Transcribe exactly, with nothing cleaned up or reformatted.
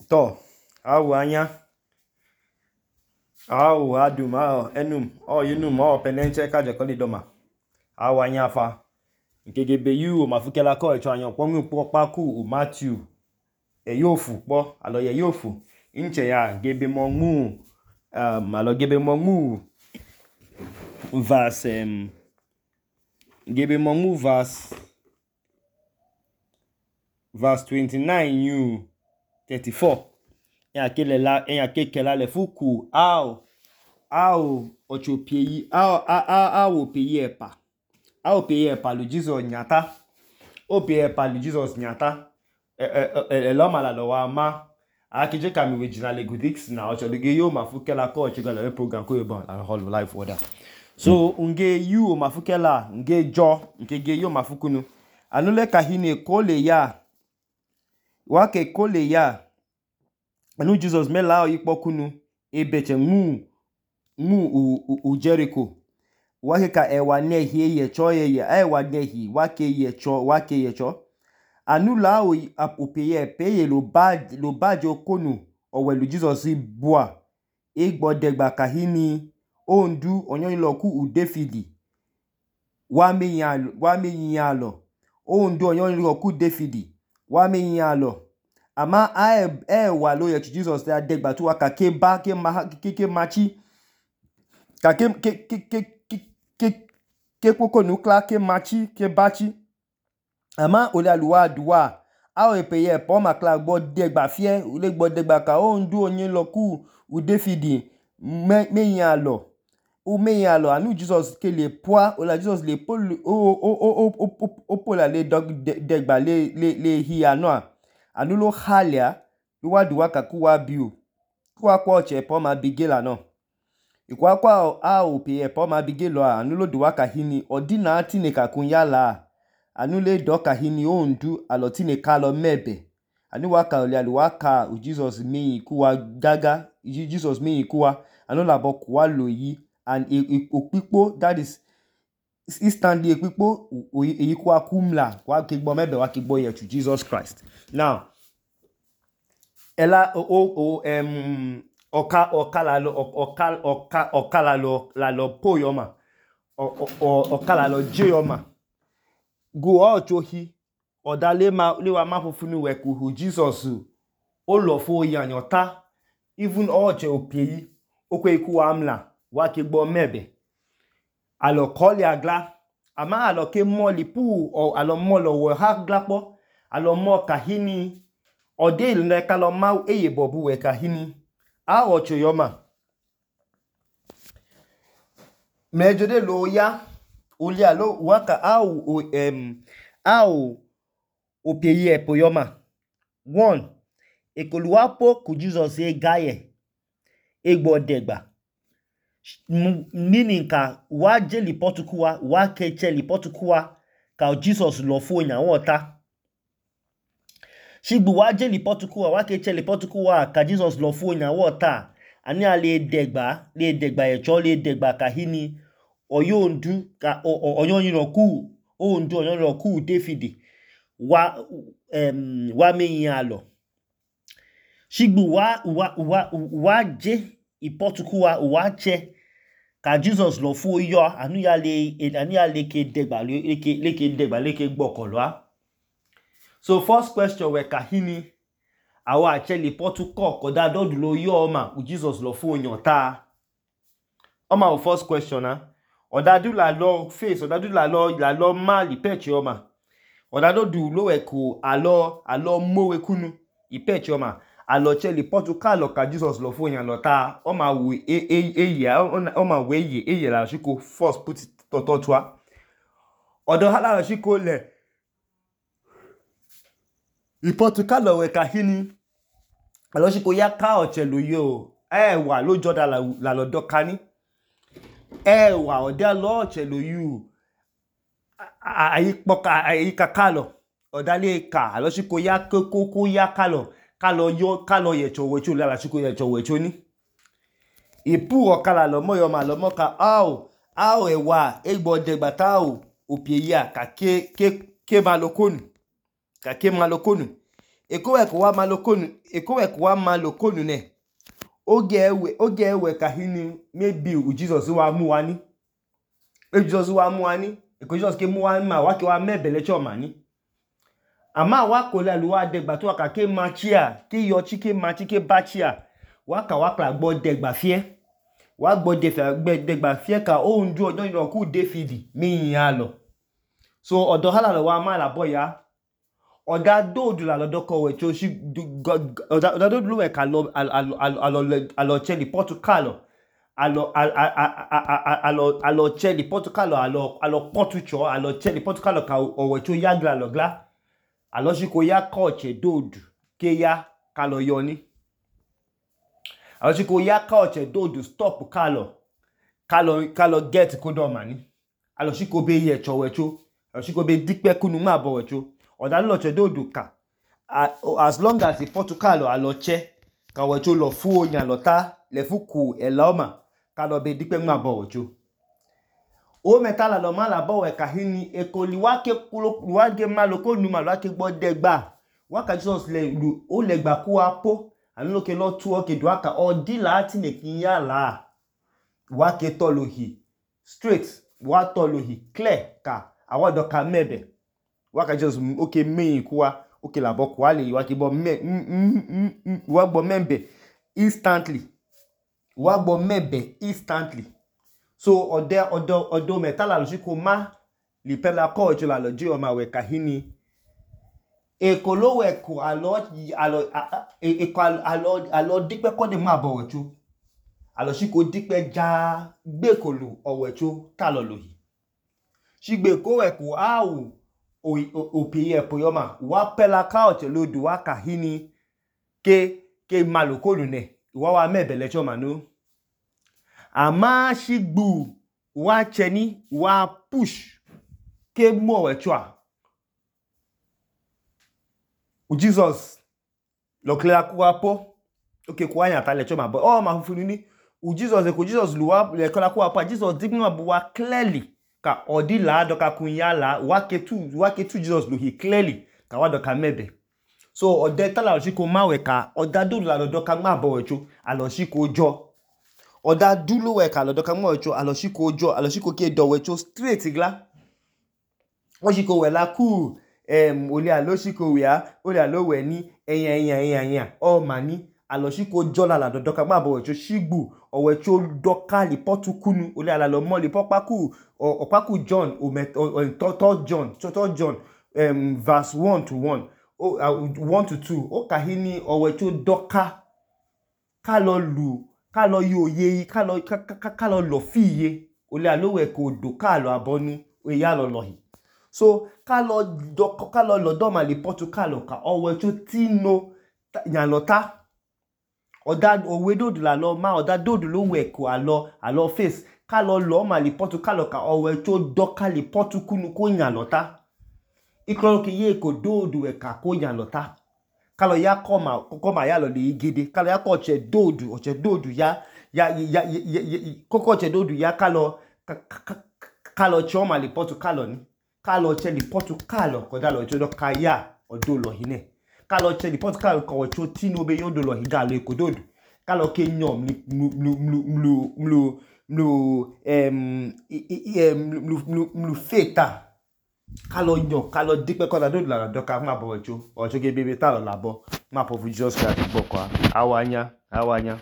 To, awu anya, awu adum, awu enum, awu yinum, awu penenche kaje koli doma. Awu anya fa. Nkegebe yu o mafukela ko echo anya okpo ngu pa ku o Matthew. E yofu po, alo ye yofu. Inche ya gebe mongu um alo gebe mongu verse um gebe mongu verse verse twenty-nine yu thirty-four. Ya kele la ya kekela le fuku au au ocho peyi au au au peyi epa. Au peyi epa lu Jesus nyata. O peyi epa lu Jesus nyata. E e e lo mala lo wa ma. Akije kami original egudix na ocho de yo mafukela ko ocho gala program ko yobon la whole life order. So unge yu mafukela nge jo nke ge yo mafukunu. Anule kahine kole ya wake kole ya anu Jesus me la ikpo kunu ebeche mu mu u, u, u Jericho wake ka ewa nehi ye cho ye ye ewa nehi wake ye cho wake ye cho anu la o opeye peye lo bad lo bajo konu owelu Jesus bua igbo degba kahini ondu onyon loku u Davidi wa me yan wa me yan lo ondu onyon loku Davidi wa me yan lo ama e e wa lo ye Jesus da degba tu aka ke ba ke ma ke ke machi ka ke ke ke ke ke ke koko nukla ke machi ke bachi ama ole aluwa duwa a o epeye po makla gbo degba fie ole gbo degba ka ondu onyin loku u Davidi me me yan lo o me yan lo anu Jesus ke le poa ole Jesus le po o o o o o po la le degba le le le hi ano anu lo halia wa duwa ka ku wa biu ku wa kwa oche po ma bigela no ikwa kwa a o pe po ma bigelo anu lo duwa ka hini odina tine ka kun yala anu le do ka hini ondu alotine ka lo mebe anu wa ka ole aluwa ka u Jesus mi ku wa gaga Jesus mi ku wa anu la bo ku wa lo yi and opipo that is instantly epipo eyi ku akumla wa ke gbo mebe wa ke gbo ye to Jesus Christ. Now ela o o um oka okala lo okal oka okala lo la lo poyoma o o okala lo jeyoma go ochohi odale ma le wa ma fufunu we ku Jesus o lo fo yanyota even oche opeyi okwe iku amla wa ke gbo mebe alo koli agla ama alo ke moli pu o alo molo wo ha glapo alo mo kahini ode ile kalo ma eye bobu we kahini a ocho yoma mejode lo ya oli alo waka au um au opeye epo yoma one ekoluwapo ku Jesus e gaye egbo degba meaning ka wa je lipotukuwa wa keche lipotukuwa ka Jesus lo fo nya wota shigbu wa je lipotukuwa wa keche lipotukuwa ka Jesus lo fo nya wota ani ale degba le degba echo le degba kahini oyondu ka oyon yiroku ondu oyon yiroku Davidi wa um wa me yan lo shigbu wa wa wa wa je ipotukuwa wa che ka Jesus lo fo yo anu ya le anu ya le ke degba le ke le ke degba le ke gbokolo. So first question we kahini awa acheli potuko koda dodu lo yo ma u Jesus lo fo yan ta oma o first question na odadu la lo face odadu la lo la lo ma li peche oma odadu du lo we ko alo alo mowe kunu ipeche oma alo cheli potuka lo ka Jesus lo fo yan lo ta oma we e e e oma we ye eye la shiko first put it to to twa odo hala shiko le ipotuka lo we kahini alo shiko ya ka ochelu yo e wa lo joda la la lo dokani e wa ode lo ochelu yu ayi poka ayi kakalo odale ka alo shiko ya koko ya kalo kalo yo kalo ye chowe chu la shiko ye chowe chu ni ipu okala lo mo yo ma lo mo ka au au ewa egbo degba ta o opie ya ka ke ke ke malokonu ka ke malokonu Ekowe ko wa malokonu, ekowe ko wa malokonu ne. Oge ewe, oge ewe kahini maybe u Jesus wa mu wani. E Jesus wa mu wani, eko Jesus ke mu wani ma wa ke wa mebele cho mani. Ama wa ko la lu wa degba to aka ke machia, ke yo chi ke machi ke bachia. Wa ka wa kla gbo degba fie. Wa gbo degba fie ka o nju ojo ino ku David mi yin lo. So odo hala lo wa ma la boya. Oda dodu la lo doko we cho shi oda dodu lu we ka lo alo alo alo cheli Portugal. Alo alo alo cheli Portugal alo alo Portucho alo cheli Portugal ka owe cho yagla lo gla. Alo shi ko ya koche dodu ke ya ka lo yoni. Alo shi ko ya koche dodu stop ka lo ka lo ka lo get kodo mani. Alo shi ko be ye cho we cho. Alo shi ko be dikpe kunu ma bo we cho. Oda lo che dodu ka as long as the Portugal alo che ka we cho lo fu onya lo ta le fu ku e la oma ka lo be dikpe ma bo we cho. O metala lo ma la bo we kahini ekoli wa ke kulo wa ge ma lo ko nu ma lo ke gbo degba wa ka Jesus le lu o le gba ku apo anu lo ke lo tu o ke do aka o di la ti ne kin ya la wa ke to lo hi straight wa to lo hi clear ka awa do ka mebe wa ka Jesus okay me ku wa okay la bo ku ale wa ke bo me wa gbo membe instantly wa gbo mebe instantly. So ode odo odo metala lo shi ko ma li pela ko jo la lo ji o ma we kahini ekolo we ko alo alo e ko alo alo dipe ko de ma bo we chu alo shi ko dipe ja gbe kolu o we chu ta lo lo yi shi gbe ko we ko awu o o piye po yo ma wa pela ka o che lo du wa kahini ke ke malokolu ne wa wa mebele cho ma no. Ama shigbu wa cheni wa push ke mo we chwa u Jesus lo clear ku apo okay ku anya ta le chwa ma bo o ma fufunu ni u Jesus e ko Jesus lu wa le clear ku apo Jesus dignu abu wa clearly ka odi la do ka kun ya la wa ke tu wa ke tu Jesus lu he clearly ka wa do ka mebe. So ode ta la shi ko ma we ka oda do la do ka ma bo we chu alo shi ko jo. Oda dulu we ka lo do ka mo we cho alo shi ko jo alo shi ko ke do we cho straight gla. Won shi ko we la ku em ole alo shi ko we a ole alo we ni eyan eyan eyan eyan o mani alo shi ko jo la la do do ka ma bo we cho shigbu o we cho do ka li potukunu ole ala lo mo li popaku o opaku John o met o to John to to John um verse one to one o uh, one to two o kahini o we cho do ka ka lo lu ka lo yo ye ka lo ka ka lo lo fiye ole alowe ko do ka lo abonu o ya lo lo hi. So ka lo do ka lo lo do ma li Portugal ka o we cho tino yan lo ta oda owe dodu la lo ma oda dodu lo we ko alo alo face ka lo lo ma li Portugal ka o we cho do ka li Portukunu ko yan lo ta ikro ke ye ko dodu we ka ko yan lo ta ka lo ya koma koma ya lo le igede ka lo ya ko che dodu o che dodu ya ya ya koko che dodu ya ka lo ka lo che o ma li Portugal ni ka lo che li Portugal ko da lo che do ka ya odo lo hine ka lo che li Portugal ko cho tino be yodo lo higa lo ko dodu ka lo ke nyom mlu mlu mlu mlu mlu em mlu mlu mlu feta ka lo nyo ka lo dipe ko da dodu la do ka ma bo cho o cho ge bebe ta lo labo ma po fu Jesus Christ bo kwa awanya awanya